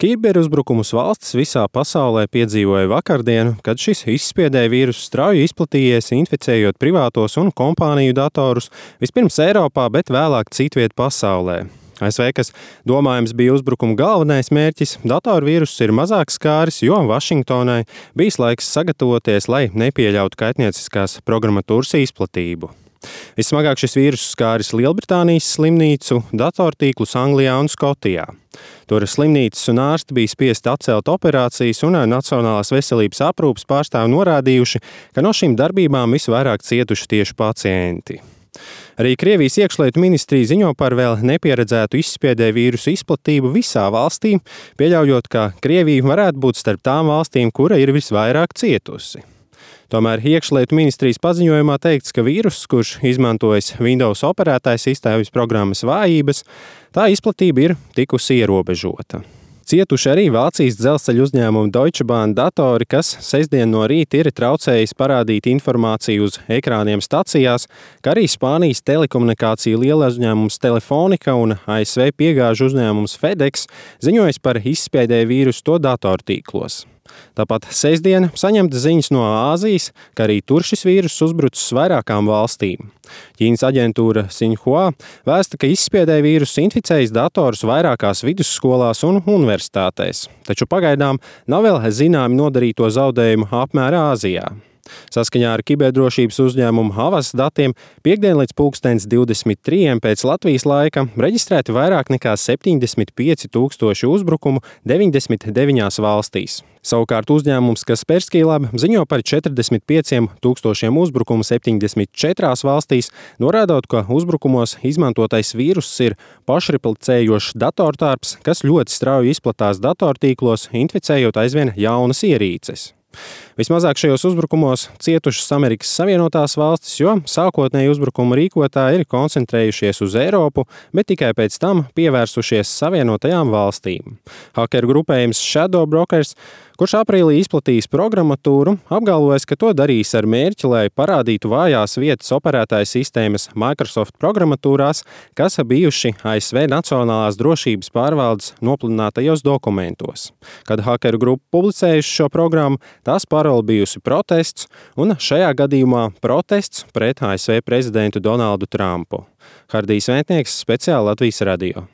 Kiberuzbrukumus valstis visā pasaulē piedzīvoja vakardienu, kad šis izspiedēja vīrusu strauji izplatījies, inficējot privātos un kompāniju datorus vispirms Eiropā, bet vēlāk citviet pasaulē. ASV, kas domājams bija uzbrukuma galvenais mērķis, datorvīruss ir mazāk skāris, jo Vašingtonai bijis laiks sagatavoties, lai nepieļautu kaitnieciskās programmatūras izplatību. Vismagāk šis vīruss skāris Lielbritānijas slimnīcu, datortīklus Anglijā un Skotijā. Tur slimnīcas un ārsti bija spiesti atcelt operācijas, un Nacionālās veselības aprūpes pārstāvi norādījuši, ka no šīm darbībām visvairāk cietuši tieši pacienti. Arī Krievijas iekšlietu ministrija ziņo par vēl nepieredzētu izspiedēju vīrusu izplatību visā valstī, pieļaujot, ka Krievija varētu būt starp tām valstīm, kura ir visvairāk cietusi. Tomēr iekšlietu ministrijas paziņojumā teikts, ka vīruss, kurš izmantojas Windows operētājas sistēmas programmas vājības, tā izplatība ir tikusi ierobežota. Cietuši arī Vācijas dzelzceļa uzņēmuma Deutsche Bahn datori, kas sestdien no rīta ir traucējis parādīt informāciju uz ekrāniem stacijās, kā arī Spānijas telekomunikāciju lielais uzņēmums Telefonica un ASV piegāžu uzņēmums FedEx ziņojas par izspiedēju vīrusu to datortīklos. Tāpat sestdien saņemta ziņas no Āzijas, ka arī tur šis vīruss uzbrucis vairākām valstīm. Ķīnas aģentūra Xinhua vēsta, ka izspiedēja vīruss inficējis datorus vairākās vidusskolās un universitātēs, taču pagaidām nav vēl zināmi nodarīto zaudējumu apmēra Āzijā. Saskaņā ar kiberdrošības uzņēmumu Havas datiem piektdien līdz 23:00 pēc Latvijas laika reģistrēti vairāk nekā 75,000 uzbrukumu 99 valstīs. Savukārt uzņēmums Kaspersky Lab ziņo par 45,000 uzbrukumu 74 valstīs, norādot, ka uzbrukumos izmantotais vīruss ir pašreplicējošs datortārps, kas ļoti strauji izplatās datortīklos, inficējot aizvien jaunas ierīces. Vismazāk šajos uzbrukumos cietušas Amerikas Savienotās valstis, jo sākotnēji uzbrukumu rīkotāji ir koncentrējušies uz Eiropu, bet tikai pēc tam pievērsušies Savienotajām valstīm. Hakeru grupējums Shadow Brokers, kurš aprīlī izplatījis programmatūru, apgalvojas, ka to darīs ar mērķi, lai parādītu vājās vietas operētāju sistēmas Microsoft programmatūrās, kas bijuši ASV Nacionālās drošības pārvaldes nopludinātajos dokumentos. Kad hakeru grupa publicējuši šo programmu, tās parole bijusi protests, un šajā gadījumā protests pret ASV prezidentu Donaldu Trumpu. Hardijs Vētnieks, speciāli Latvijas radio.